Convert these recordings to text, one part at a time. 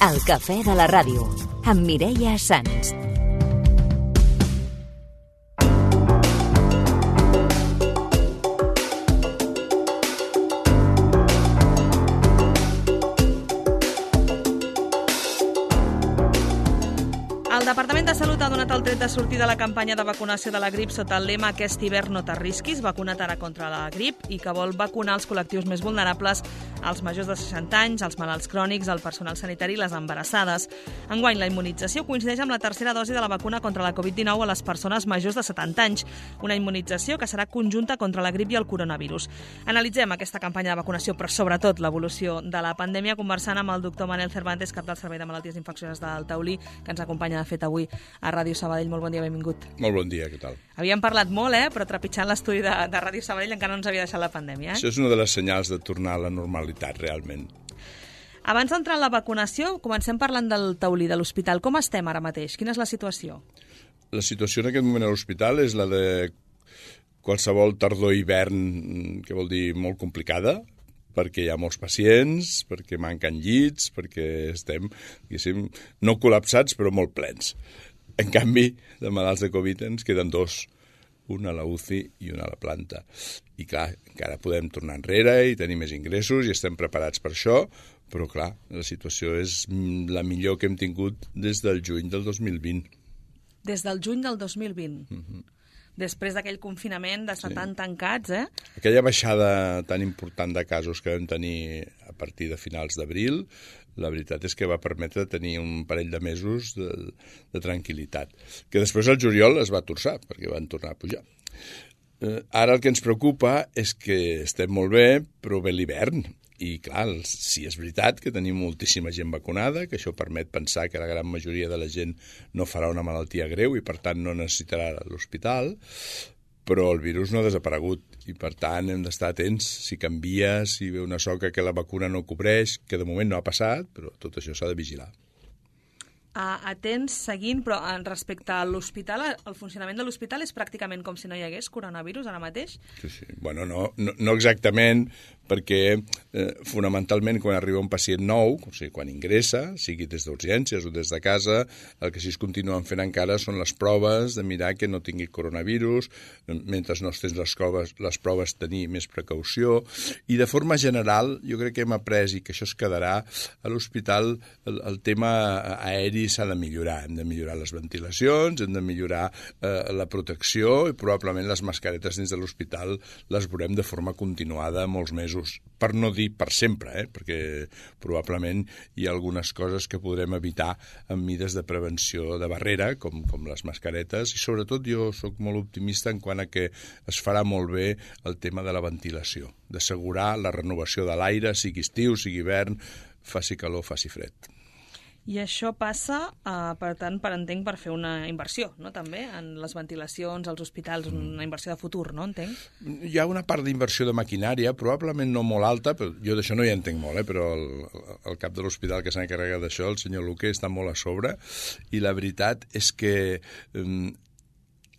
El cafè de la ràdio, amb Mireia Sans. El Departament de Salut ha donat el tret de sortir de la campanya de vacunació de la grip sota el lema "Aquest hivern no t'arrisquis, vacuna't ara contra la grip", i que vol vacunar els col·lectius més vulnerables, els majors de 60 anys, els malalts crònics, el personal sanitari i les embarassades. Enguany, la immunització coincideix amb la tercera dosi de la vacuna contra la Covid-19 a les persones majors de 70 anys, una immunització que serà conjunta contra la grip i el coronavirus. Analitzem aquesta campanya de vacunació, però sobretot l'evolució de la pandèmia, conversant amb el doctor Manel Cervantes, cap del Servei de Malalties Infeccioses del Taulí, que ens acompanya de fet avui a Ràdio Sabadell. Molt bon dia, benvingut. Molt bon dia, què tal? Havíem parlat molt, però trepitjant l'estudi de Ràdio Sabadell encara no ens havia deixat la pandèmia. Això és una de les senyals de tornar a la normalitat, realment. Abans d'entrar en la vacunació, comencem parlant del Taulí, de l'hospital. Com estem ara mateix? Quina és la situació? La situació en aquest moment a l'hospital és la de qualsevol tardor-hivern, que vol dir molt complicada, perquè hi ha molts pacients, perquè manquen llits, perquè estem, diguéssim, no col·lapsats, però molt plens. En canvi, de malalts de Covid ens queden dos, un a la UCI i un a la planta. I clar, encara podem tornar enrere i tenir més ingressos i estem preparats per això, però clar, la situació és la millor que hem tingut des del juny del 2020. Des del juny del 2020? Després d'aquell confinament d'estar tan tancats, Aquella baixada tan important de casos que vam tenir a partir de finals d'abril, la veritat és que va permetre tenir un parell de mesos de tranquil·litat, que després al juliol es va torçar, perquè van tornar a pujar. Ara el que ens preocupa és que estem molt bé, però ve l'hivern. I clar, sí és veritat que tenim moltíssima gent vacunada, que això permet pensar que la gran majoria de la gent no farà una malaltia greu i per tant no necessitarà l'hospital, però el virus no ha desaparegut i per tant hem d'estar atents si canvia, si ve una soca que la vacuna no cobreix, que de moment no ha passat, però tot això s'ha de vigilar. Atents, seguint, però respecte a l'hospital, el funcionament de l'hospital és pràcticament com si no hi hagués coronavirus ara mateix? Sí. Bueno, no exactament, perquè fonamentalment quan arriba un pacient nou, o sigui, quan ingressa, sigui des d'urgències o des de casa, el que sí es continuen fent encara són les proves de mirar que no tingui coronavirus, mentre no es tens les proves tenir més precaució, i de forma general jo crec que hem après i que això es quedarà a l'hospital, el tema aeri s'ha de millorar. Hem de millorar les ventilacions, hem de millorar la protecció i probablement les mascaretes dins de l'hospital les veurem de forma continuada molts mesos, per no dir per sempre, perquè probablement hi ha algunes coses que podrem evitar amb mides de prevenció de barrera, com les mascaretes, i sobretot jo sóc molt optimista en quant a que es farà molt bé el tema de la ventilació, d'assegurar la renovació de l'aire, sigui estiu, sigui hivern, faci calor, faci fred. I això passa, per tant, entenc, per fer una inversió, no?, també, en les ventilacions, als hospitals, una inversió de futur, no?, entenc? Hi ha una part d'inversió de maquinària, probablement no molt alta, però jo d'això no hi entenc molt, però el cap de l'hospital que s'ha encarregat d'això, el senyor Luque, està molt a sobre, i la veritat és que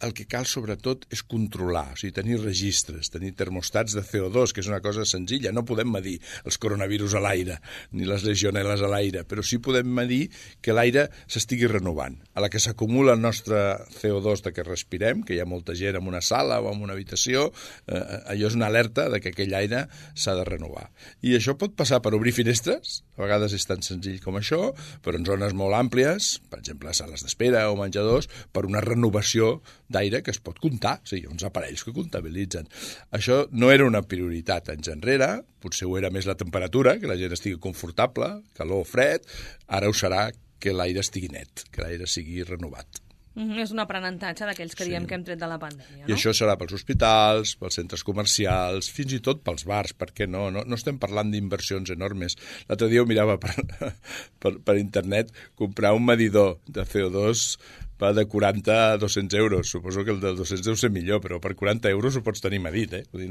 el que cal, sobretot, és controlar, o sigui, tenir registres, tenir termostats de CO2, que és una cosa senzilla. No podem medir els coronavirus a l'aire, ni les legionel·les a l'aire, però sí podem medir que l'aire s'estigui renovant. A la que s'acumula el nostre CO2 de que respirem, que hi ha molta gent en una sala o en una habitació, allò és una alerta de que aquell aire s'ha de renovar. I això pot passar per obrir finestres, a vegades és tan senzill com això, però en zones molt àmplies, per exemple, sales d'espera o menjadors, per una renovació d'aire que es pot comptar, o sigui, uns aparells que comptabilitzen. Això no era una prioritat anys enrere, potser ho era més la temperatura, que la gent estigui confortable, calor o fred, ara ho serà que l'aire estigui net, que l'aire sigui renovat. És un aprenentatge d'aquells que diem que hem tret de la pandèmia, no? I això serà pels hospitals, pels centres comercials, fins i tot pels bars, perquè no estem parlant d'inversions enormes. L'altre dia ho mirava per internet, comprar un medidor de CO2 va de 40 a 200 euros. Suposo que el de 200 deu ser millor, però per 40 euros ho pots tenir medit, Vull dir,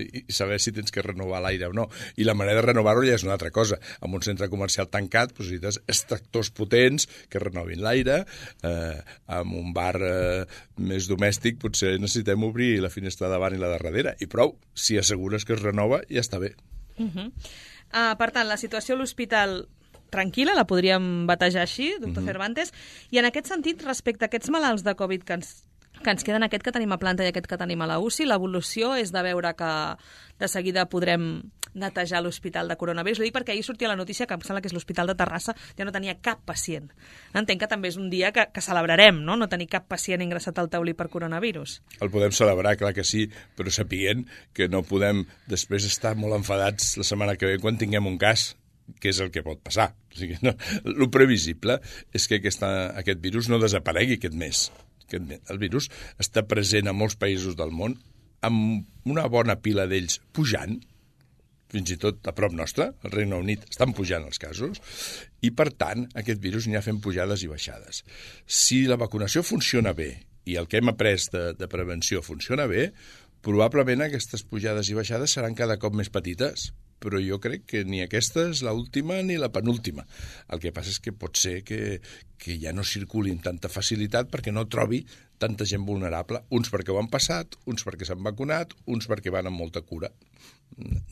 i saber si tens que renovar l'aire o no. I la manera de renovar-ho ja és una altra cosa. En un centre comercial tancat, necessites extractors potents que renovin l'aire. En un bar més domèstic potser necessitem obrir la finestra davant i la de darrere. I prou, si assegures que es renova, ja està bé. Per tant, la situació a l'hospital tranquil·la, la podríem batejar així, doctor Cervantes, i en aquest sentit, respecte a aquests malalts de Covid que ens queden, aquest que tenim a planta i aquest que tenim a la UCI, l'evolució és de veure que de seguida podrem netejar l'hospital de coronavirus. Ho dic perquè ahir sortia la notícia que em sembla que és l'Hospital de Terrassa, ja no tenia cap pacient. Entenc que també és un dia que celebrarem, no tenir cap pacient ingressat al taulí per coronavirus. El podem celebrar, clar que sí, però sapiguent que no podem després estar molt enfadats la setmana que ve quan tinguem un cas, que és el que pot passar. O sigui, no, el previsible és que aquest virus no desaparegui aquest mes. El virus està present a molts països del món, amb una bona pila d'ells pujant, fins i tot a prop nostre, al Regne Unit, estan pujant els casos, i per tant aquest virus anirà fent pujades i baixades. Si la vacunació funciona bé i el que hem après de prevenció funciona bé, probablement aquestes pujades i baixades seran cada cop més petites, però jo crec que ni aquesta és l'última ni la penúltima. El que passa és que pot ser que ja no circuli amb tanta facilitat perquè no trobi tanta gent vulnerable, uns perquè ho han passat, uns perquè s'han vacunat, uns perquè van amb molta cura.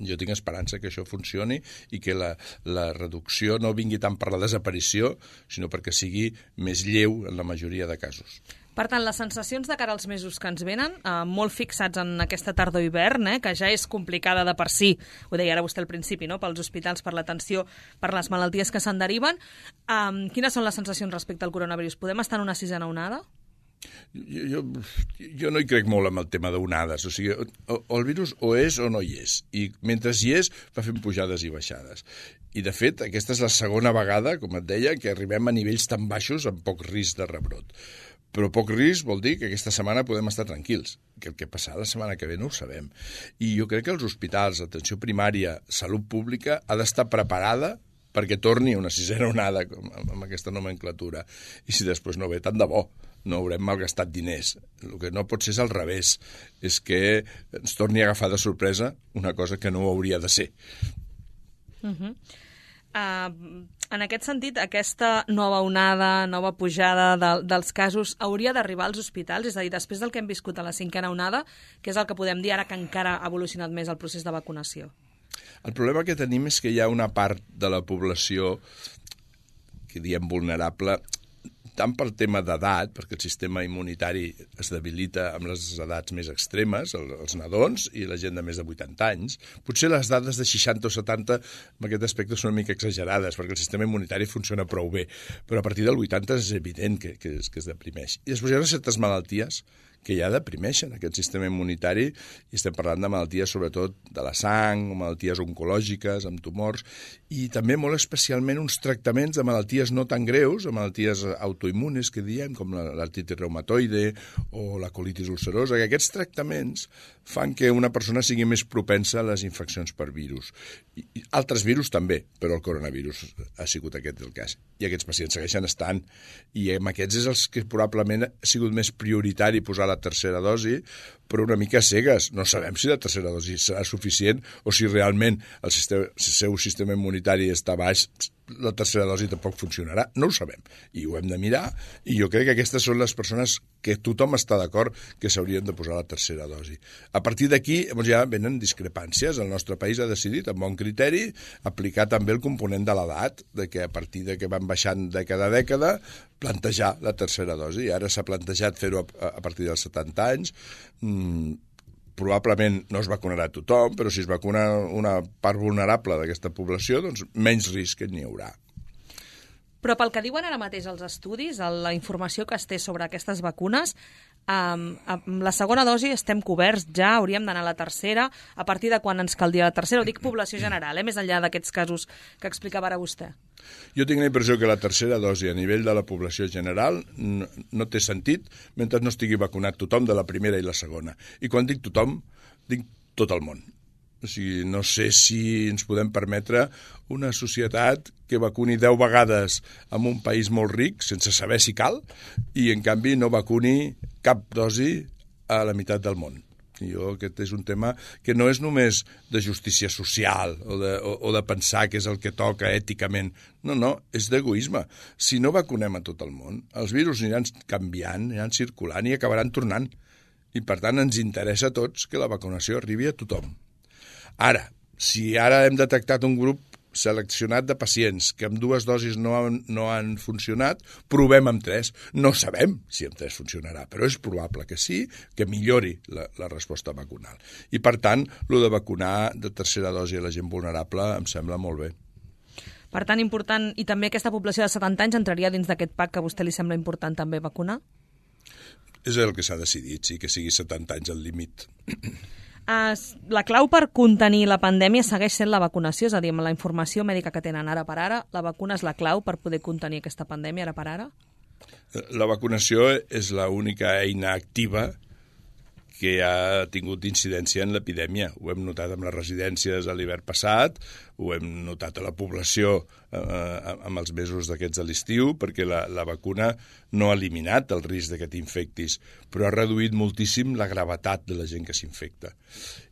Jo tinc esperança que això funcioni i que la reducció no vingui tant per la desaparició, sinó perquè sigui més lleu en la majoria de casos. Per tant, les sensacions de cara als mesos que ens venen, molt fixats en aquesta tardor-hivern, que ja és complicada de per si, ho deia ara vostè al principi, no? Pels hospitals, per l'atenció, per les malalties que se'n deriven. Quines són les sensacions respecte al coronavirus? Podem estar en una sisena onada? Jo no hi crec molt amb el tema d'onades. O sigui, el virus o és o no hi és. I mentre hi és, va fent pujades i baixades. I, de fet, aquesta és la segona vegada, com et deia, que arribem a nivells tan baixos amb poc risc de rebrot. Però poc risc vol dir que aquesta setmana podem estar tranquils, que el que passarà la setmana que ve no ho sabem. I jo crec que els hospitals, atenció primària, salut pública, ha d'estar preparada perquè torni una sisena onada amb aquesta nomenclatura. I si després no ve, tant de bo, no haurem malgastat diners. El que no pot ser és al revés, és que ens torni a agafar de sorpresa una cosa que no hauria de ser. En aquest sentit, aquesta nova onada, nova pujada dels casos hauria d'arribar als hospitals? És a dir, després del que hem viscut a la cinquena onada, que és el que podem dir ara que encara ha evolucionat més el procés de vacunació? El problema que tenim és que hi ha una part de la població que diem vulnerable, tant pel tema d'edat, perquè el sistema immunitari es debilita amb les edats més extremes, els nadons i la gent de més de 80 anys. Potser les dades de 60 o 70 en aquest aspecte són una mica exagerades, perquè el sistema immunitari funciona prou bé, però a partir del 80 és evident que es deprimeix. I després hi ha certes malalties que ja deprimeixen aquest sistema immunitari, i estem parlant de malalties sobretot de la sang, o malalties oncològiques, amb tumors, i també molt especialment uns tractaments de malalties no tan greus, de malalties autoimmunes que diem, com l'artritis reumatoide o la colitis ulcerosa, que aquests tractaments fan que una persona sigui més propensa a les infeccions per virus. I altres virus també, però el coronavirus ha sigut aquest el cas. I aquests pacients segueixen estant, i amb aquests és els que probablement ha sigut més prioritari posar la tercera dosi, però una mica cegues. No sabem si la tercera dosi serà suficient o si realment el seu sistema immunitari està baix, la tercera dosi tampoc funcionarà. No ho sabem. I ho hem de mirar, i jo crec que aquestes són les persones que tothom està d'acord que s'haurien de posar la tercera dosi. A partir d'aquí ja venen discrepàncies. El nostre país ha decidit, amb bon criteri, aplicar també el component de l'edat, de que a partir de que van baixant dècada a dècada, plantejar la tercera dosi. I ara s'ha plantejat fer-ho a partir dels 70 anys. Probablement no es vacunarà tothom, però si es vacuna una part vulnerable d'aquesta població, doncs menys risc n'hi haurà. Però pel que diuen ara mateix els estudis, la informació que es té sobre aquestes vacunes, amb la segona dosi estem coberts ja, hauríem d'anar a la tercera. A partir de quan ens caldria la tercera? Ho dic població general, més enllà d'aquests casos que explicava ara vostè. Jo tinc la impressió que la tercera dosi a nivell de la població general no té sentit mentre no estigui vacunat tothom de la primera i la segona. I quan dic tothom, dic tot el món. O sigui, no sé si ens podem permetre una societat que vacuni 10 vegades en un país molt ric, sense saber si cal, i en canvi no vacuni cap dosi a la meitat del món. Aquest és un tema que no és només de justícia social o de pensar que és el que toca èticament. No, és d'egoisme. Si no vacunem a tot el món, els virus aniran canviant, aniran circulant i acabaran tornant. I per tant ens interessa a tots que la vacunació arribi a tothom. Ara, si ara hem detectat un grup seleccionat de pacients que amb 2 dosis no han funcionat, provem amb 3. No sabem si amb 3 funcionarà, però és probable que sí, que millori la resposta vacunal. I, per tant, el de vacunar de tercera dosi a la gent vulnerable em sembla molt bé. Per tant, important, i també aquesta població de 70 anys entraria dins d'aquest pack que a vostè li sembla important també vacunar? És el que s'ha decidit, sí, que sigui 70 anys el límit. La clau per contenir la pandèmia segueix sent la vacunació, és a dir, amb la informació mèdica que tenen ara per ara, la vacuna és la clau per poder contenir aquesta pandèmia ara per ara? La vacunació és l'única eina activa que ha tingut incidència en l'epidèmia. Ho hem notat amb les residències a l'hivern passat, ho hem notat a la població amb els mesos d'aquests de l'estiu, perquè la vacuna no ha eliminat el risc de que t'infectis, però ha reduït moltíssim la gravetat de la gent que s'infecta.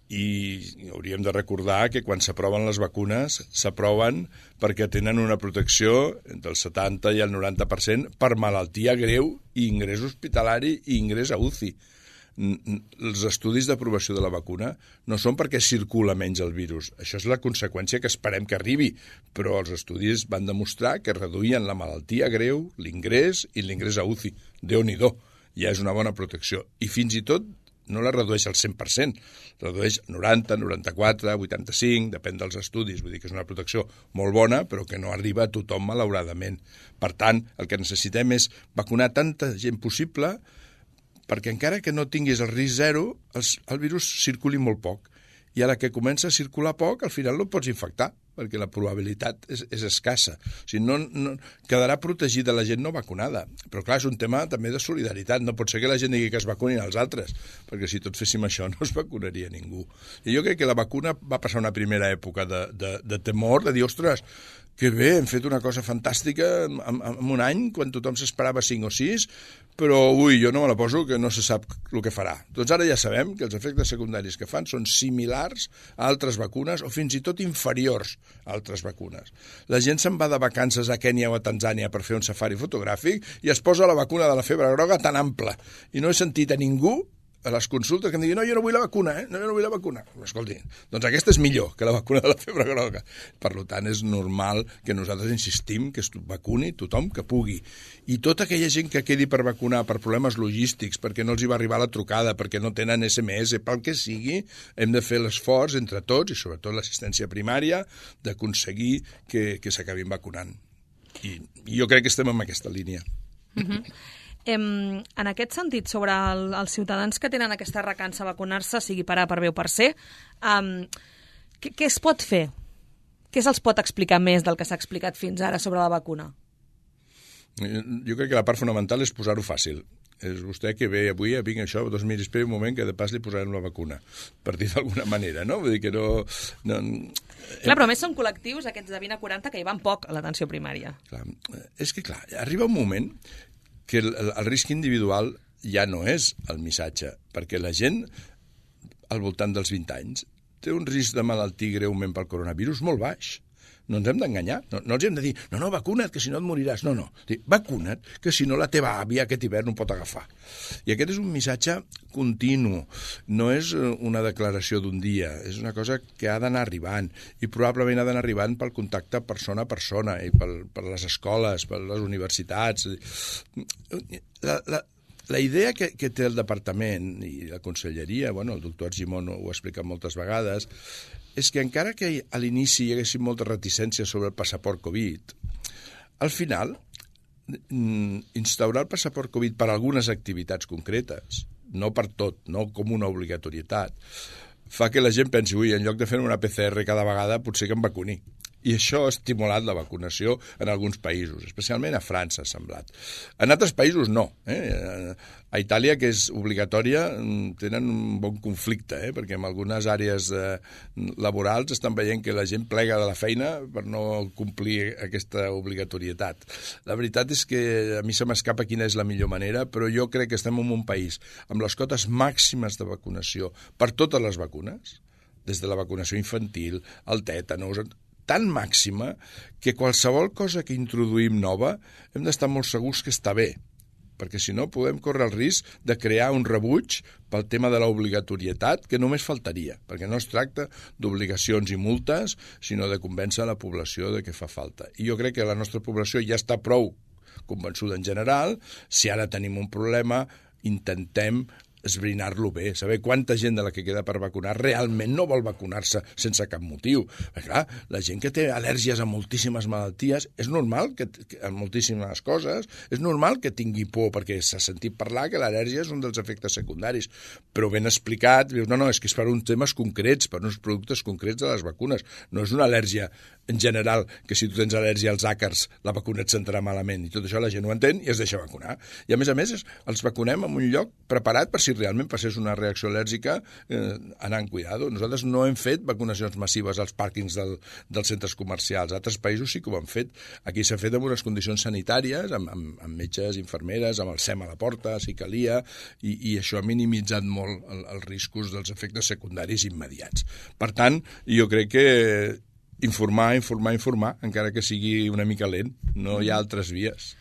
I hauríem de recordar que quan s'aproven les vacunes, s'aproven perquè tenen una protecció entre el 70 i el 90% per malaltia greu i ingrés hospitalari i ingrés a UCI. Els estudis d'aprovació de la vacuna no són perquè circula menys el virus. Això és la conseqüència que esperem que arribi, però els estudis van demostrar que reduïen la malaltia greu, l'ingrés i l'ingrés a UCI. Déu-n'hi-do, ja és una bona protecció. I fins i tot no la redueix al 100%, redueix 90, 94, 85, depèn dels estudis, vull dir que és una protecció molt bona, però que no arriba a tothom, malauradament. Per tant, el que necessitem és vacunar tanta gent possible perquè encara que no tinguis el risc zero, el virus circuli molt poc. I a la que comença a circular poc, al final no pots infectar, perquè la probabilitat és escassa. O sigui, no quedarà protegida la gent no vacunada. Però clar, és un tema també de solidaritat. No pot ser que la gent digui que es vacunin els altres, perquè si tots féssim això no es vacunaria ningú. I jo crec que la vacuna va passar una primera època de temor, de dir, ostres, que bé, hem fet una cosa fantàstica en un any, quan tothom s'esperava 5 o 6, però, jo no me la poso, que no se sap el que farà. Doncs ara ja sabem que els efectes secundaris que fan són similars a altres vacunes o fins i tot inferiors a altres vacunes. La gent se'n va de vacances a Kènia o a Tanzània per fer un safari fotogràfic i es posa la vacuna de la febre groga tan ampla. I no he sentit a ningú a les consultes que em diguin, no, jo no vull la vacuna, no, jo no vull la vacuna. Escolti, doncs aquesta és millor que la vacuna de la febre groga. Per tant, és normal que nosaltres insistim que es vacuni tothom que pugui. I tota aquella gent que quedi per vacunar per problemes logístics, perquè no els hi va arribar la trucada, perquè no tenen SMS, pel que sigui, hem de fer l'esforç entre tots, i sobretot l'assistència primària, d'aconseguir que s'acabin vacunant. I jo crec que estem en aquesta línia. En aquest sentit, sobre els ciutadans que tenen aquesta recança a vacunar-se, sigui per A, per B o per C, què es pot fer? Què se'ls pot explicar més del que s'ha explicat fins ara sobre la vacuna? Jo crec que la part fonamental és posar-ho fàcil. És vostè que ve avui, vinc això, doncs miri, esperi un moment que de pas li posarem la vacuna, per dir d'alguna manera, no? Vull dir que no... Clar, però a més són col·lectius, aquests de 20 a 40, que hi van poc a l'atenció primària. Clar, és que, clar, arriba un moment que el risc individual ja no és el missatge, perquè la gent al voltant dels 20 anys té un risc de malaltir greument pel coronavirus molt baix. No ens hem d'enganyar, no els hem de dir no, vacuna't, que si no et moriràs. No, vacuna't, que si no la teva àvia aquest hivern ho pot agafar. I aquest és un missatge continu, no és una declaració d'un dia, és una cosa que ha d'anar arribant, i probablement ha d'anar arribant pel contacte persona a persona, i per les escoles, per les universitats. La idea que té el departament i la conselleria, el doctor Argimon ho ha explicat moltes vegades, és que encara que a l'inici hi haguessin moltes reticències sobre el passaport Covid, al final, instaurar el passaport Covid per a algunes activitats concretes, no per tot, no com una obligatorietat, fa que la gent pensi, en lloc de fer una PCR cada vegada, potser que em vacuni. I això ha estimulat la vacunació en alguns països, especialment a França, ha semblat. En altres països no. A Itàlia, que és obligatòria, tenen un bon conflicte, perquè en algunes àrees laborals estan veient que la gent plega de la feina per no complir aquesta obligatorietat. La veritat és que a mi se m'escapa quina és la millor manera, però jo crec que estem en un país amb les cotes màximes de vacunació per totes les vacunes, des de la vacunació infantil, el tètanus, tan màxima que qualsevol cosa que introduïm nova hem d'estar molt segurs que està bé, perquè si no podem córrer el risc de crear un rebuig pel tema de l'obligatorietat, que només faltaria, perquè no es tracta d'obligacions i multes, sinó de convèncer la població de que fa falta. I jo crec que la nostra població ja està prou convençuda en general. Si ara tenim un problema, intentem esbrinar-lo bé, saber quanta gent de la que queda per vacunar realment no vol vacunar-se sense cap motiu. Perquè, clar, la gent que té al·lèrgies a moltíssimes malalties, és normal que a moltíssimes coses, és normal que tingui por, perquè s'ha sentit parlar que l'al·lèrgia és un dels efectes secundaris, però ben explicat, dius, no, és que és per uns temes concrets, per uns productes concrets de les vacunes. No és una al·lèrgia en general, que si tu tens al·lèrgia als àcars, la vacuna et sentarà malament, i tot això la gent ho entén i es deixa vacunar. I a més, els vacunem en un lloc preparat per si realment passés una reacció al·lèrgica, anar en cuidado. Nosaltres no hem fet vacunacions massives als pàrquings dels centres comercials. Altres països sí que ho han fet. Aquí s'ha fet en unes condicions sanitàries, amb metges, infermeres, amb el SEM a la porta, si calia, i això ha minimitzat molt els riscos dels efectes secundaris immediats. Per tant, jo crec que informar, encara que sigui una mica lent. No hi ha altres vies.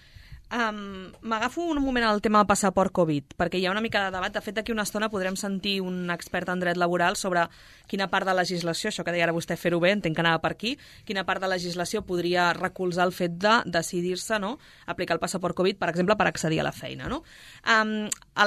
M'agafo un moment al tema del passaport Covid, perquè hi ha una mica de debat. De fet, d'aquí una estona podrem sentir un expert en dret laboral sobre quina part de legislació, això que deia ara vostè fer-ho bé, entenc que anava per aquí, quina part de legislació podria recolzar el fet de decidir-se, no?, aplicar el passaport Covid, per exemple, per accedir a la feina, no?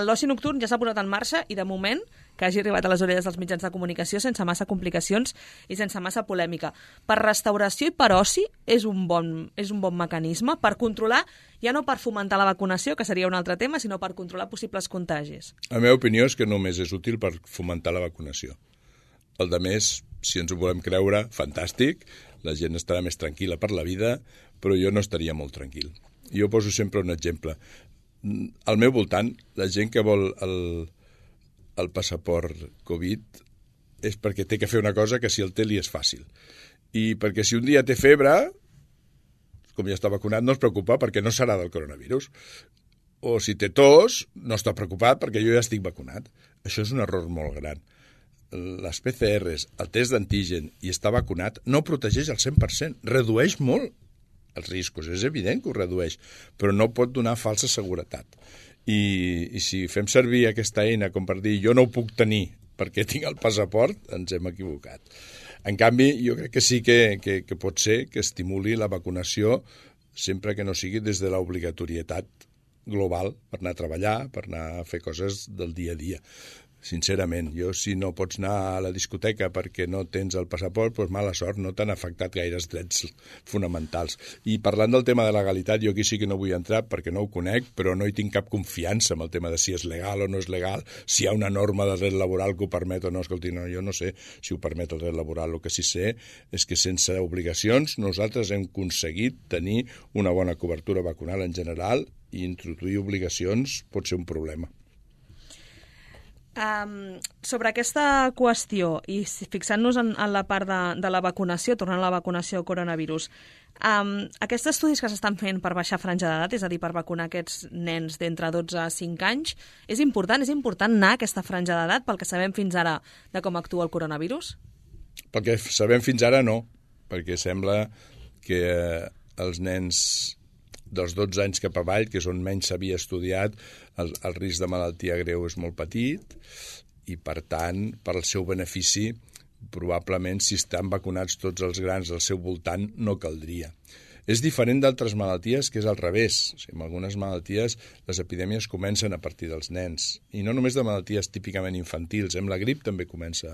L'oci nocturn ja s'ha posat en marxa i, de moment, que hagi arribat a les orelles dels mitjans de comunicació sense massa complicacions i sense massa polèmica. Per restauració i per oci és un bon mecanisme per controlar, ja no per fomentar la vacunació, que seria un altre tema, sinó per controlar possibles contagis. La meva opinió és que només és útil per fomentar la vacunació. El de més, si ens ho volem creure, fantàstic, la gent estarà més tranquil·la per la vida, però jo no estaria molt tranquil. Jo poso sempre un exemple. Al meu voltant, la gent que vol el passaport Covid és perquè té que fer una cosa que si el té li és fàcil. I perquè si un dia té febre, com ja està vacunat, no es preocupa perquè no serà del coronavirus. O si té tos, no està preocupat perquè jo ja estic vacunat. Això és un error molt gran. Les PCRs, el test d'antigen i estar vacunat no protegeix al 100%, redueix molt els riscos, és evident que ho redueix, però no pot donar falsa seguretat. I si fem servir aquesta eina com per dir jo no ho puc tenir perquè tinc el passaport, ens hem equivocat. En canvi, jo crec que sí que pot ser que estimuli la vacunació sempre que no sigui des de l'obligatorietat global per anar a treballar, per anar a fer coses del dia a dia. Sincerament, jo si no pots anar a la discoteca perquè no tens el passaport, doncs mala sort, no t'han afectat gaires drets fonamentals. I parlant del tema de legalitat, jo aquí sí que no vull entrar perquè no ho conec, però no hi tinc cap confiança amb el tema de si és legal o no és legal, si hi ha una norma de dret laboral que ho permet o no. Escolti, no, jo no sé si ho permet el dret laboral. El que sí sé és que sense obligacions nosaltres hem aconseguit tenir una bona cobertura vacunal en general i introduir obligacions pot ser un problema. Sobre aquesta qüestió i fixant-nos en la part de la vacunació, tornant a la vacunació coronavirus, aquests estudis que s'estan fent per baixar franja d'edat, és a dir, per vacunar aquests nens d'entre 12 a 5 anys, és important anar a aquesta franja d'edat pel que sabem fins ara de com actua el coronavirus? Pel que sabem fins ara no, perquè sembla que els nens dels 12 anys cap avall, que és on menys s'havia estudiat, el risc de malaltia greu és molt petit i, per tant, per al seu benefici, probablement, si estan vacunats tots els grans al seu voltant, no caldria. És diferent d'altres malalties, que és al revés. O sigui, en algunes malalties les epidèmies comencen a partir dels nens. I no només de malalties típicament infantils. La grip també comença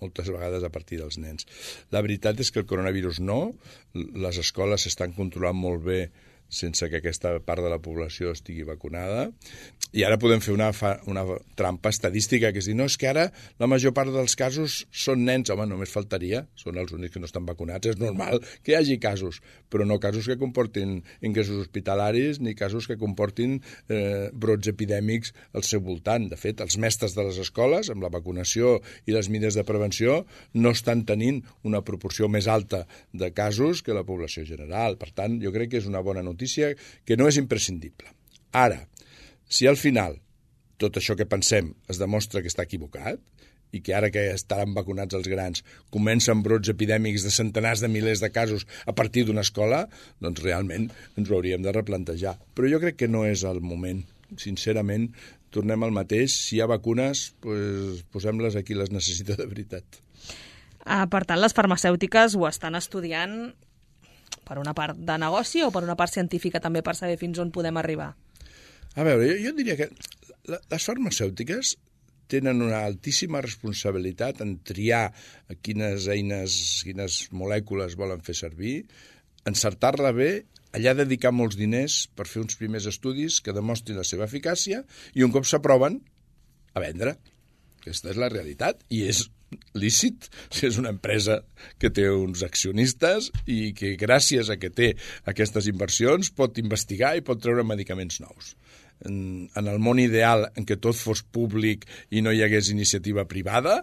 moltes vegades a partir dels nens. La veritat és que el coronavirus no. Les escoles s'estan controlant molt bé sense que aquesta part de la població estigui vacunada. I ara podem fer una trampa estadística, que és dir, no, és que ara la major part dels casos són nens. Home, només faltaria, són els únics que no estan vacunats. És normal que hi hagi casos, però no casos que comportin ingressos hospitalaris ni casos que comportin brots epidèmics al seu voltant. De fet, els mestres de les escoles, amb la vacunació i les mesures de prevenció, no estan tenint una proporció més alta de casos que la població general. Per tant, jo crec que és una bona notícia que no és imprescindible. Ara, si al final tot això que pensem es demostra que està equivocat i que ara que estaran vacunats els grans comencen brots epidèmics de centenars de milers de casos a partir d'una escola, doncs realment ens ho hauríem de replantejar. Però jo crec que no és el moment sincerament, tornem al mateix. Si hi ha vacunes, pues, posem-les a qui les necessita de veritat. Per tant, les farmacèutiques ho estan estudiant per una part de negoci o per una part científica també per saber fins on podem arribar? A veure, jo diria que les farmacèutiques tenen una altíssima responsabilitat en triar quines eines, quines molècules volen fer servir, encertar-la bé, allà dedicar molts diners per fer uns primers estudis que demostrin la seva eficàcia i un cop s'aproven, a vendre. Aquesta és la realitat i és lícit si és una empresa que té uns accionistes i que gràcies a que té aquestes inversions pot investigar i pot treure medicaments nous. En el món ideal en què tot fos públic i no hi hagués iniciativa privada,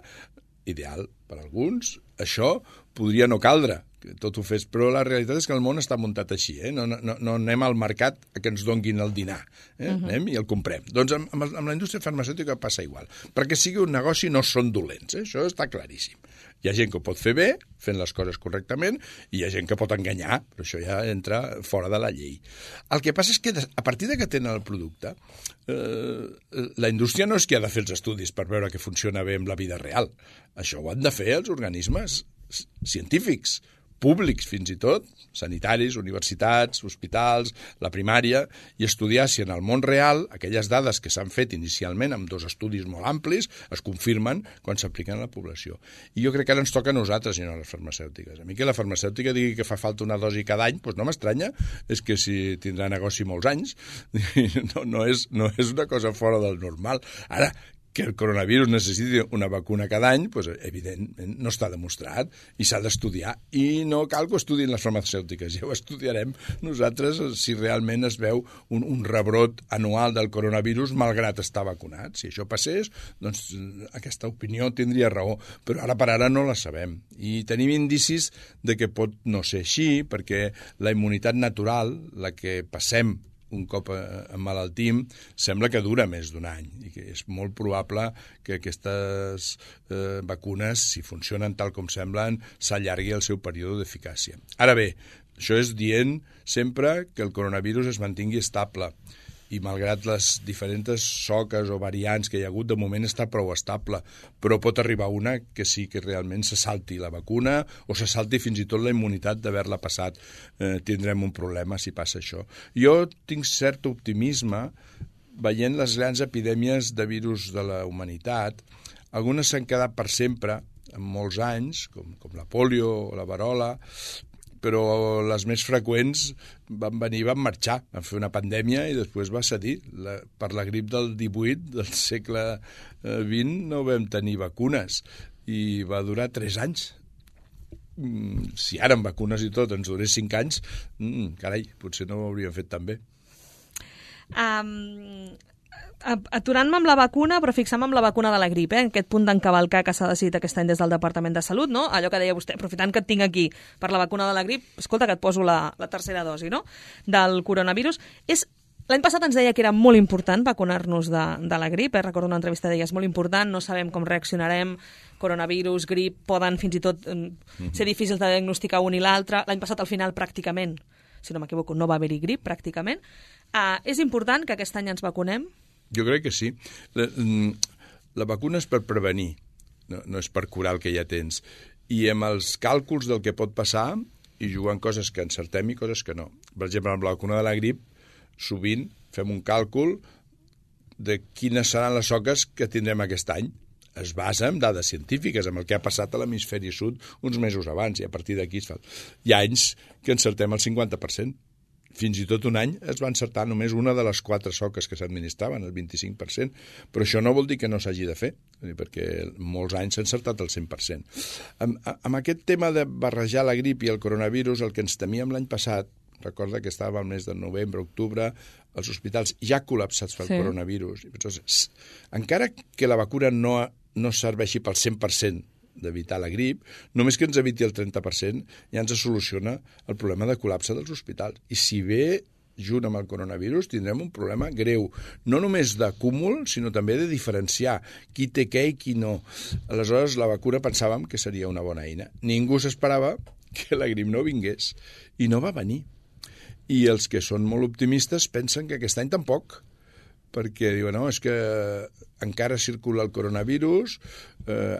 ideal per alguns, això podria no caldre, que tot ho fes, però la realitat és que el món està muntat així, no anem al mercat a que ens donguin el dinar, anem i el comprem. Doncs amb la indústria farmacèutica passa igual. Perquè sigui un negoci no són dolents, això està claríssim. Hi ha gent que ho pot fer bé, fent les coses correctament, i hi ha gent que pot enganyar, però això ja entra fora de la llei. El que passa és que a partir de que tenen el producte, la indústria no és qui ha de fer els estudis per veure que funciona bé amb la vida real. Això ho han de fer els organismes científics, públics fins i tot, sanitaris, universitats, hospitals, la primària, i estudiar si en el món real aquelles dades que s'han fet inicialment amb 2 estudis molt amplis es confirmen quan s'apliquen a la població. I jo crec que ara ens toca a nosaltres i no a les farmacèutiques. A mi que la farmacèutica digui que fa falta una dosi cada any, doncs no m'estranya, és que si tindrà negoci molts anys, no és una cosa fora del normal. Ara, que el coronavirus necessiti una vacuna cada any, doncs, evidentment no està demostrat i s'ha d'estudiar. I no cal que ho estudien les farmacèutiques, ja ho estudiarem nosaltres si realment es veu un rebrot anual del coronavirus malgrat estar vacunat. Si això passés, doncs aquesta opinió tindria raó, però ara per ara no la sabem. I tenim indicis de que pot no ser així, perquè la immunitat natural, la que passem un cop emmalaltim, sembla que dura més d'un any i que és molt probable que aquestes vacunes, si funcionen tal com semblen, s'allargui el seu període d'eficàcia. Ara bé, això és dient sempre que el coronavirus es mantingui estable i malgrat les diferents soques o variants que hi ha hagut, de moment està prou estable, però pot arribar una que sí que realment se salti la vacuna o se salti fins i tot la immunitat d'haver-la passat. Tindrem un problema si passa això. Jo tinc cert optimisme veient les grans epidèmies de virus de la humanitat. Algunes s'han quedat per sempre, en molts anys, com la polio o la verola, però les més freqüents van venir i van marxar. Van fer una pandèmia i després va cedir. Per la grip del 18 del segle XX no vam tenir vacunes i va durar 3 anys. Si ara amb vacunes i tot ens durés 5 anys, carai, potser no ho hauríem fet tan bé. Aturant-me amb la vacuna, però fixant-me amb la vacuna de la grip, aquest punt d'encavalcar que s'ha decidit aquest any des del Departament de Salut, no? Allò que deia vostè, aprofitant que et tinc aquí per la vacuna de la grip, escolta que et poso la tercera dosi, no?, del coronavirus. L'any passat ens deia que era molt important vacunar-nos de la grip, recordo una entrevista deia, és molt important, no sabem com reaccionarem, coronavirus, grip, poden fins i tot ser difícils de diagnosticar un i l'altre. L'any passat al final pràcticament, si no m'equivoco, no va haver-hi grip pràcticament. És important que aquest any ens vacunem? Jo crec que sí. La vacuna és per prevenir, no és per curar el que ja tens. I amb els càlculs del que pot passar, i jugant coses que encertem i coses que no. Per exemple, amb la vacuna de la grip, sovint fem un càlcul de quines seran les soques que tindrem aquest any. Es basa en dades científiques, amb el que ha passat a l'hemisferi sud uns mesos abans, i a partir d'aquí es fa. Hi ha anys que encertem el 50%. Fins i tot un any es va encertar només una de les 4 soques que s'administraven, el 25%, però això no vol dir que no s'hagi de fer, perquè molts anys s'ha encertat el 100%. Amb aquest tema de barrejar la grip i el coronavirus, el que ens temíem l'any passat, recorda que estava al mes de novembre, octubre, els hospitals ja col·lapsats pel coronavirus. Encara que la vacuna no serveixi pel 100% d'evitar la grip, només que ens eviti el 30% ja ens soluciona el problema de col·lapse dels hospitals. I si ve junt amb el coronavirus tindrem un problema greu, no només d'acúmul, sinó també de diferenciar qui té què i qui no. Aleshores, la vacuna pensàvem que seria una bona eina. Ningú s'esperava que la grip no vingués, i no va venir. I els que són molt optimistes pensen que aquest any tampoc, perquè diuen, no, és que encara circula el coronavirus,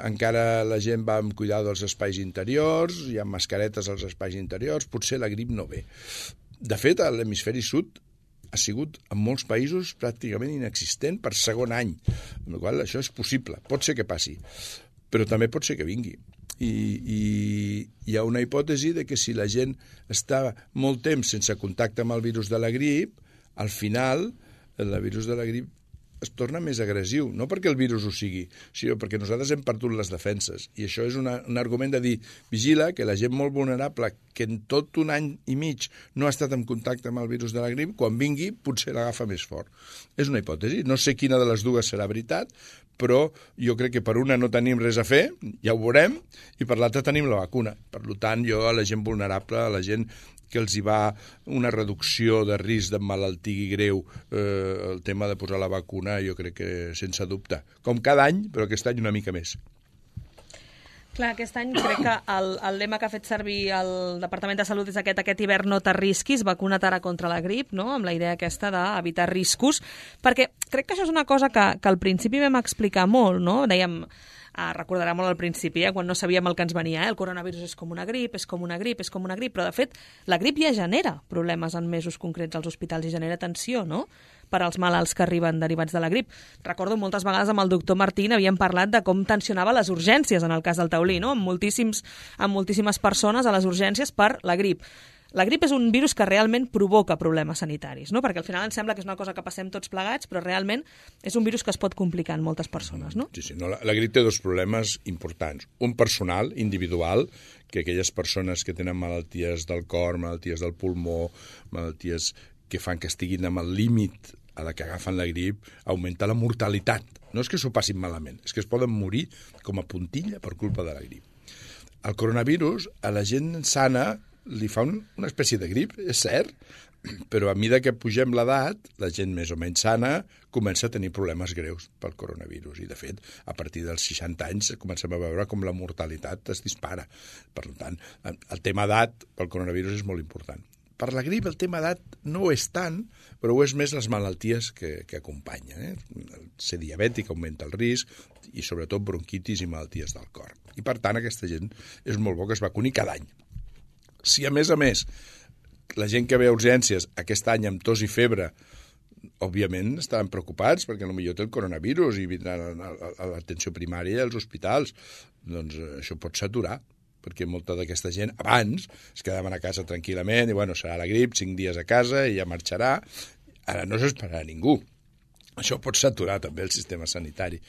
encara la gent va amb cuidado dels espais interiors, hi ha mascaretes als espais interiors, potser la grip no ve. De fet, a l'hemisferi sud ha sigut en molts països pràcticament inexistent per segon any, amb la qual cosa això és possible, pot ser que passi, però també pot ser que vingui. I hi ha una hipòtesi de que si la gent està molt temps sense contacte amb el virus de la grip, al final el virus de la grip es torna més agressiu, no perquè el virus ho sigui, sinó perquè nosaltres hem perdut les defenses. I això és un argument de dir, vigila que la gent molt vulnerable, que en tot un any i mig no ha estat en contacte amb el virus de la grip, quan vingui potser l'agafa més fort. És una hipòtesi, no sé quina de les dues serà veritat, però jo crec que per una no tenim res a fer, ja ho veurem, i per l'altra tenim la vacuna. Per tant, jo a la gent vulnerable, a la gent que els hi va una reducció de risc d'emmalaltir greu el tema de posar la vacuna, jo crec que sense dubte. Com cada any, però aquest any una mica més. Clar, aquest any crec que el lema que ha fet servir el Departament de Salut és aquest hivern no t'arrisquis, vacuna't ara contra la grip, no? Amb la idea aquesta d'evitar riscos, perquè crec que això és una cosa que al principi vam explicar molt, no? Dèiem, recordarà molt al principi, quan no sabíem el que ens venia, el coronavirus és com una grip, és com una grip, és com una grip, però de fet la grip ja genera problemes en mesos concrets als hospitals i genera tensió, no?, per als malalts que arriben derivats de la grip. Recordo moltes vegades amb el doctor Martín havíem parlat de com tensionava les urgències en el cas del taulí, no?, amb moltíssimes persones a les urgències per la grip. La grip és un virus que realment provoca problemes sanitaris, no? Perquè al final ens sembla que és una cosa que passem tots plegats, però realment és un virus que es pot complicar en moltes persones, no? Sí, no, la grip té dos problemes importants. Un personal, individual, que aquelles persones que tenen malalties del cor, malalties del pulmó, malalties que fan que estiguin amb el límit a la que agafen la grip, augmenta la mortalitat. No és que s'ho passin malament, és que es poden morir com a puntilla per culpa de la grip. El coronavirus, a la gent sana, li fa una espècie de grip, és cert, però a mesura que pugem l'edat, la gent més o menys sana comença a tenir problemes greus pel coronavirus. I, de fet, a partir dels 60 anys comencem a veure com la mortalitat es dispara. Per tant, el tema edat pel coronavirus és molt important. Per la grip el tema edat no ho és tant, però ho és més les malalties que acompanyen. Ser diabètic augmenta el risc i, sobretot, bronquitis i malalties del cor. I, per tant, aquesta gent és molt bo que es vacuni cada any. Si, a més, la gent que ve a urgències aquest any amb tos i febre, òbviament estaran preocupats perquè potser té el coronavirus i vindran a l'atenció primària i als hospitals. Doncs això pot saturar, perquè molta d'aquesta gent abans es quedaven a casa tranquil·lament i, serà la grip, 5 dies a casa i ja marxarà. Ara no s'esperarà ningú. Això pot saturar també el sistema sanitari.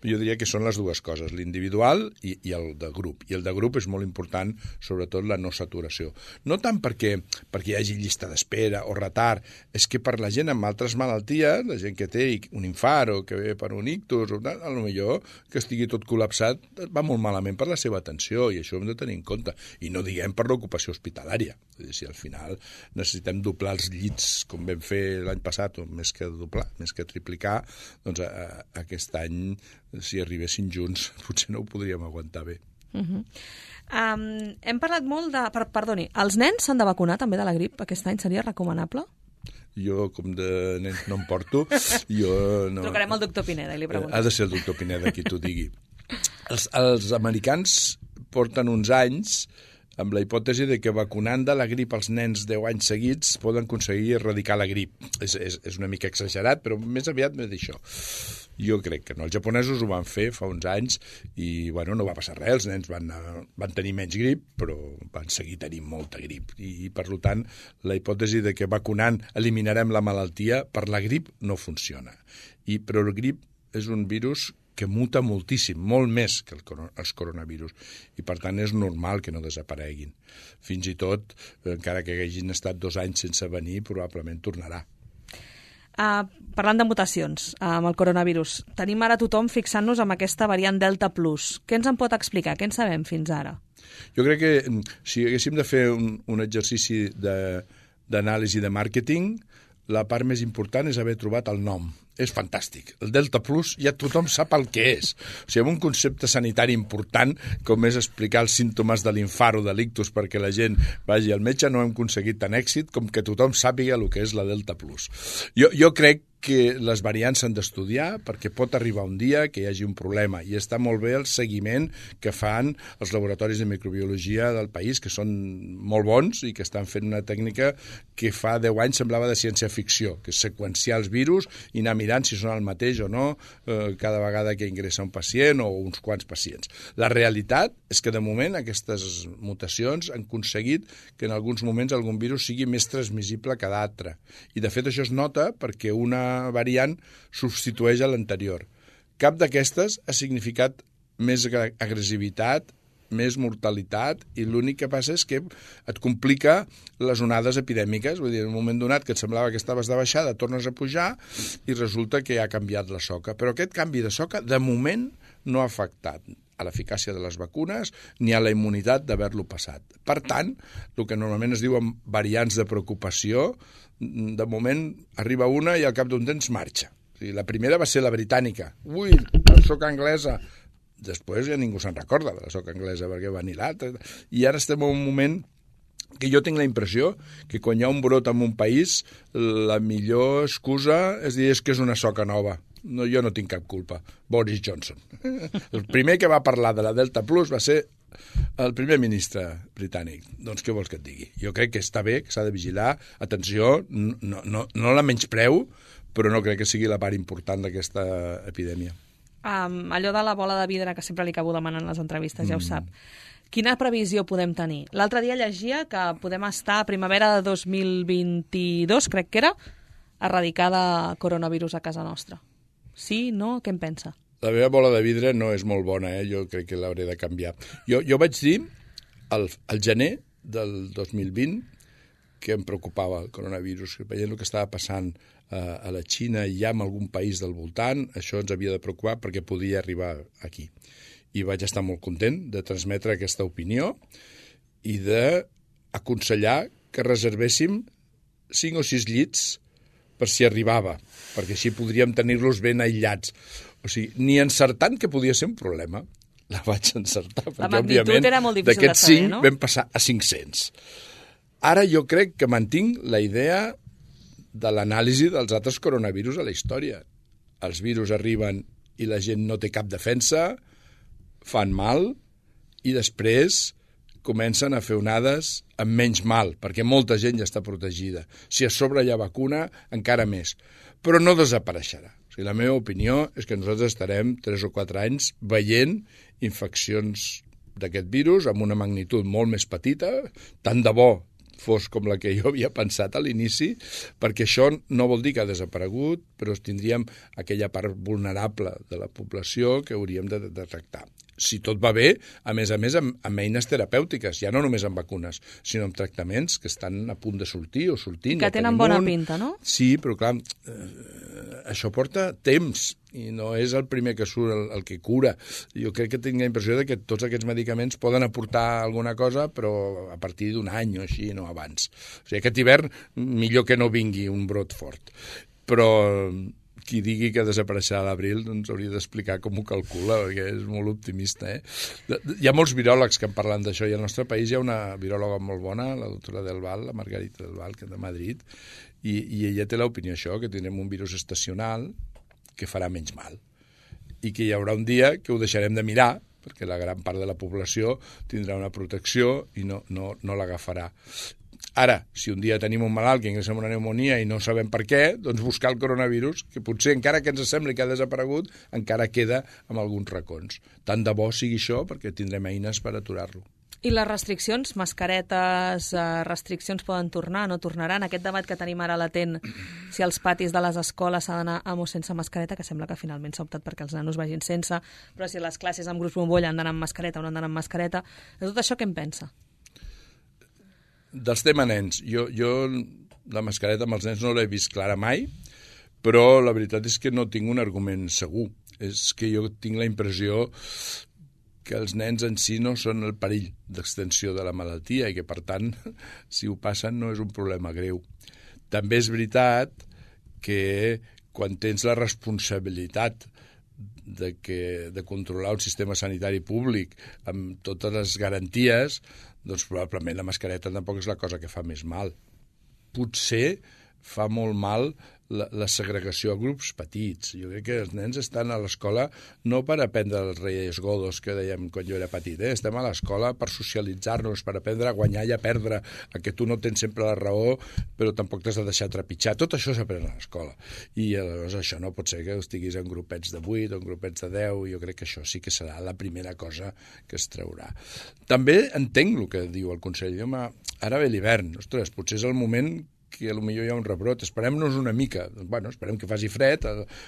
Jo diria que són les dues coses, l'individual i el de grup. I el de grup és molt important, sobretot la no saturació. No tant perquè hi hagi llista d'espera o retard, és que per la gent amb altres malalties, la gent que té un infart o que ve per un ictus, potser que estigui tot col·lapsat, va molt malament per la seva atenció i això ho hem de tenir en compte. I no diguem per l'ocupació hospitalària. Si al final necessitem doblar els llits com vam fer l'any passat, o més que doblar, més que triplicar, doncs aquest any, si arribessin junts, potser no ho podríem aguantar bé. Hem parlat molt de... Perdoni, els nens s'han de vacunar també de la grip aquest any? Seria recomanable? Jo, com de nens no em porto, jo no... Trucarem al doctor Pineda i li preguntem. Ha de ser el doctor Pineda qui t'ho digui. Els americans porten uns anys amb la hipòtesi de que vacunant de la grip als nens 10 anys seguits poden aconseguir erradicar la grip. És una mica exagerat, però més aviat m'he dit això. Jo crec que no. Els japonesos ho van fer fa uns anys i no va passar res. Els nens van tenir menys grip, però van seguir tenint molta grip. I per tant, la hipòtesi de que vacunant eliminarem la malaltia per la grip no funciona. Però el grip és un virus que muta moltíssim, molt més que els coronavirus, i per tant és normal que no desapareguin. Fins i tot, encara que hagin estat 2 anys sense venir, probablement tornarà. Parlant de mutacions amb el coronavirus, tenim ara tothom fixant-nos amb aquesta variant Delta Plus. Què ens en pot explicar? Què en sabem fins ara? Jo crec que si haguéssim de fer un exercici d'anàlisi de màrqueting, la part més important és haver trobat el nom. és fantàstic. El Delta Plus ja tothom sap el que és. O sigui, amb un concepte sanitari important, com és explicar els símptomes de l'infart o de l'ictus perquè la gent vagi al metge, no hem aconseguit tant èxit com que tothom sàpiga el que és la Delta Plus. Jo crec que les variants s'han d'estudiar perquè pot arribar un dia que hi hagi un problema i està molt bé el seguiment que fan els laboratoris de microbiologia del país, que són molt bons i que estan fent una tècnica que fa 10 anys semblava de ciència-ficció, que és seqüenciar els virus i anar mirant si són el mateix o no cada vegada que ingressa un pacient o uns quants pacients. La realitat és que de moment aquestes mutacions han aconseguit que en alguns moments algun virus sigui més transmissible que d'altre. I de fet això es nota perquè una variant substitueix a l'anterior. Cap d'aquestes ha significat més agressivitat, més mortalitat, i l'únic que passa és que et complica les onades epidèmiques. Vull dir, en un moment donat que et semblava que estaves de baixada, tornes a pujar i resulta que ha canviat la soca. Però aquest canvi de soca, de moment, no ha afectat a l'eficàcia de les vacunes ni a la immunitat d'haver-lo passat. Per tant, el que normalment es diuen variants de preocupació, de moment arriba una i al cap d'un temps marxa. O sigui, la primera va ser la britànica. Ui, la soca anglesa. Després ja ningú se'n recorda de la soca anglesa perquè va anar l'altra. I ara estem en un moment que jo tinc la impressió que quan hi ha un brot en un país, la millor excusa és dir que és una soca nova. No, jo no tinc cap culpa. Boris Johnson. El primer que va parlar de la Delta Plus va ser el primer ministre britànic. Doncs què vols que et digui? Jo crec que està bé, que s'ha de vigilar. Atenció, no la menyspreu, però no crec que sigui la part important d'aquesta epidèmia. Allò de la bola de vidre que sempre li acabo demanant en les entrevistes, ja ho sap. Quina previsió podem tenir? L'altre dia llegia que podem estar a primavera de 2022, crec que era, erradicada coronavirus a casa nostra. Sí, no? Què en pensa? La meva bola de vidre no és molt bona, jo crec que l'hauré de canviar. Jo vaig dir al gener del 2020 que em preocupava el coronavirus, que veient el que estava passant a la Xina i ja en algun país del voltant, això ens havia de preocupar perquè podia arribar aquí. I vaig estar molt content de transmetre aquesta opinió i d'aconsellar que reservéssim 5 o 6 llits per si arribava, perquè així podríem tenir-los ben aïllats. O sigui, ni encertant que podia ser un problema, la vaig encertar, perquè òbviament era molt difícil d'aquests de saber, 5 no? vam passar a 500. Ara jo crec que mantinc la idea de l'anàlisi dels altres coronavirus a la història. Els virus arriben i la gent no té cap defensa, fan mal i després comencen a fer onades amb menys mal, perquè molta gent ja està protegida. Si a sobre hi ha vacuna, encara més. Però no desapareixerà. O sigui, la meva opinió és que nosaltres estarem 3 o 4 anys veient infeccions d'aquest virus amb una magnitud molt més petita, tant de bo fos com la que jo havia pensat a l'inici, perquè això no vol dir que ha desaparegut, però tindríem aquella part vulnerable de la població que hauríem de tractar. Si tot va bé, a més, amb eines terapèutiques, ja no només amb vacunes, sinó amb tractaments que estan a punt de sortir o sortint. Que tenen bona pinta, no? Sí, però clar, això porta temps i no és el primer que surt el que cura. Jo crec que tinc la impressió de que tots aquests medicaments poden aportar alguna cosa, però a partir d'un any o així, no abans. O sigui, aquest hivern millor que no vingui un brot fort. Però qui digui que desapareixerà a l'abril doncs hauria d'explicar com ho calcula, perquè és molt optimista. Hi ha molts viròlegs que en parlen d'això, i al nostre país hi ha una viròloga molt bona, la doctora Del Val, la Margarita Del Val, que és de Madrid, i ella té l'opinió això, que tindrem un virus estacional que farà menys mal, i que hi haurà un dia que ho deixarem de mirar, perquè la gran part de la població tindrà una protecció i no l'agafarà. Ara, si un dia tenim un malalt que ingressa amb una pneumonia i no sabem per què, doncs buscar el coronavirus, que potser encara que ens sembli que ha desaparegut, encara queda en alguns racons. Tant de bo sigui això, perquè tindrem eines per aturar-lo. I les restriccions, mascaretes, restriccions poden tornar, no tornaran? Aquest debat que tenim ara latent, si als patis de les escoles s'ha d'anar amb o sense mascareta, que sembla que finalment s'ha optat perquè els nanos vagin sense, però si les classes amb grups bombolla han d'anar amb mascareta o no han d'anar amb mascareta, de tot això què en pensa? Dels tema nens, jo la mascareta amb els nens no l'he vist clara mai, però la veritat és que no tinc un argument segur. És que jo tinc la impressió que els nens en si no són el perill d'extensió de la malaltia i que, per tant, si ho passen no és un problema greu. També és veritat que quan tens la responsabilitat de controlar un sistema sanitari públic amb totes les garanties, doncs probablement la mascareta tampoc és la cosa que fa més mal. Potser fa molt mal la segregació a grups petits. Jo crec que els nens estan a l'escola no per aprendre els reyes godos que dèiem quan jo era petit, estem a l'escola per socialitzar-nos, per aprendre a guanyar i a perdre, a que tu no tens sempre la raó, però tampoc t'has de deixar trepitjar. Tot això s'aprèn a l'escola. I llavors això no pot ser que estiguis en grupets de 8 o en grupets de 10, i jo crec que això sí que serà la primera cosa que es traurà. També entenc el que diu el conseller. Home, ara ve l'hivern, ostres, potser és el moment que potser hi ha un rebrot, esperem-nos una mica. Bueno, esperem que faci fred,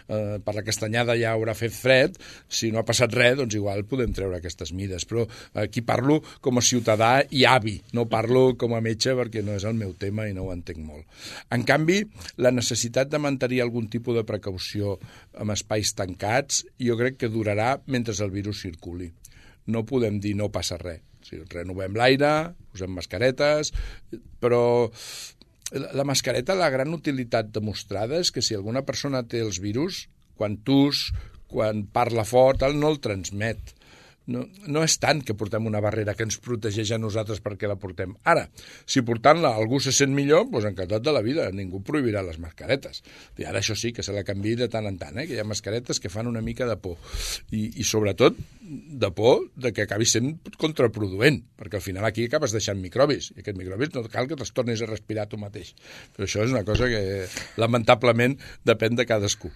per la castanyada ja haurà fet fred, si no ha passat res, doncs igual podem treure aquestes mides, però aquí parlo com a ciutadà i avi, no parlo com a metge perquè no és el meu tema i no ho entenc molt. En canvi, la necessitat de mantenir algun tipus de precaució amb espais tancats jo crec que durarà mentre el virus circuli. No podem dir no passa res. O sigui, renovem l'aire, posem mascaretes, però la mascareta, la gran utilitat demostrada és que si alguna persona té els virus, quan tus, quan parla fort, no el transmet. No és tant que portem una barrera que ens protegeix a nosaltres perquè la portem. Ara, si portant-la algú se sent millor, doncs encantat de la vida, ningú prohibirà les mascaretes. I ara això sí, que se la canviï de tant en tant, que hi ha mascaretes que fan una mica de por. I sobretot de por de que acabi sent contraproduent, perquè al final aquí acabes deixant microbis, i aquests microbis no cal que te'ls tornis a respirar tu mateix. Però això és una cosa que lamentablement depèn de cadascú.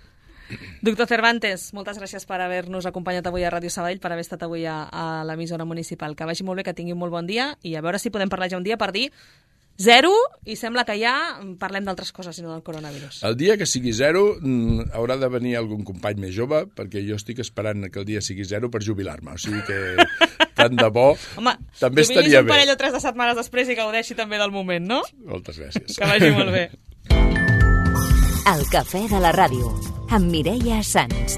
Doctor Cervantes, moltes gràcies per haver-nos acompanyat avui a Ràdio Sabadell, per haver estat avui a l'emissora municipal. Que vagi molt bé, que tingui un molt bon dia, i a veure si podem parlar ja un dia per dir 0, i sembla que ja parlem d'altres coses, sinó del coronavirus. El dia que sigui 0 haurà de venir algun company més jove, perquè jo estic esperant que el dia sigui 0 per jubilar-me. O sigui que tant de bo. Home, també estaria bé. Un parell o 3 de setmanes després i gaudeixi també del moment, no? Moltes gràcies. Que vagi molt bé. El cafè de la ràdio, amb Mireia Sans.